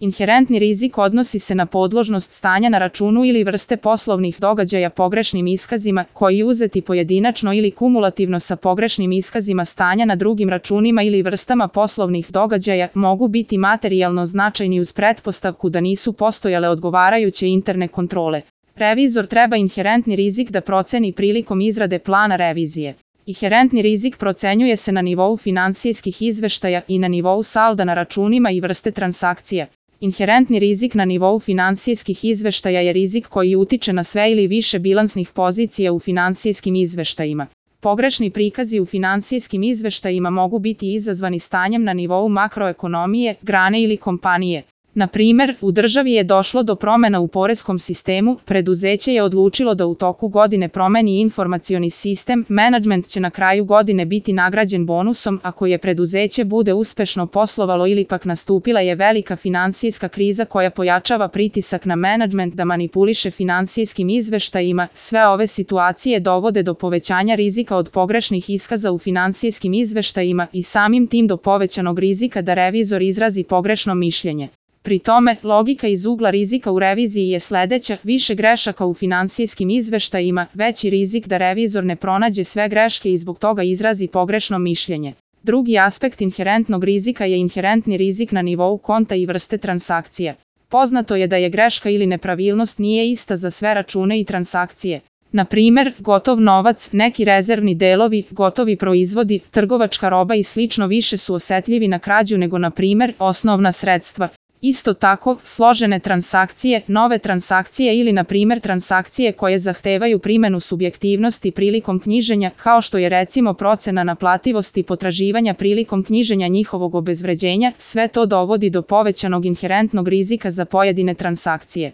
Inherentni rizik odnosi se na podložnost stanja na računu ili vrste poslovnih događaja pogrešnim iskazima, koji uzeti pojedinačno ili kumulativno sa pogrešnim iskazima stanja na drugim računima ili vrstama poslovnih događaja mogu biti materijalno značajni uz pretpostavku da nisu postojale odgovarajuće interne kontrole. Revizor treba inherentni rizik da proceni prilikom izrade plana revizije. Inherentni rizik procenjuje se na nivou finansijskih izveštaja i na nivou salda na računima i vrste transakcija. Inherentni rizik na nivou finansijskih izveštaja je rizik koji utiče na sve ili više bilansnih pozicija u finansijskim izveštajima. Pogrešni prikazi u finansijskim izveštajima mogu biti izazvani stanjem na nivou makroekonomije, grane ili kompanije. Na primer, u državi je došlo do promena u poreskom sistemu, preduzeće je odlučilo da u toku godine promeni informacioni sistem, menadžment će na kraju godine biti nagrađen bonusom ako je preduzeće bude uspešno poslovalo ili pak nastupila je velika finansijska kriza koja pojačava pritisak na menadžment da manipuliše finansijskim izveštajima. Sve ove situacije dovode do povećanja rizika od pogrešnih iskaza u finansijskim izveštajima i samim tim do povećanog rizika da revizor izrazi pogrešno mišljenje. Pri tome, logika iz ugla rizika u reviziji je sledeća: više grešaka u finansijskim izveštajima, veći rizik da revizor ne pronađe sve greške i zbog toga izrazi pogrešno mišljenje. Drugi aspekt inherentnog rizika je inherentni rizik na nivou konta i vrste transakcija. Poznato je da je greška ili nepravilnost nije ista za sve račune i transakcije. Na primer, gotov novac, neki rezervni delovi, gotovi proizvodi, trgovačka roba i slično više su osetljivi na krađu nego na primer osnovna sredstva. Isto tako, složene transakcije, nove transakcije ili na primer transakcije koje zahtevaju primenu subjektivnosti prilikom knjiženja, kao što je recimo procena naplativosti potraživanja prilikom knjiženja njihovog obezvređenja, sve to dovodi do povećanog inherentnog rizika za pojedine transakcije.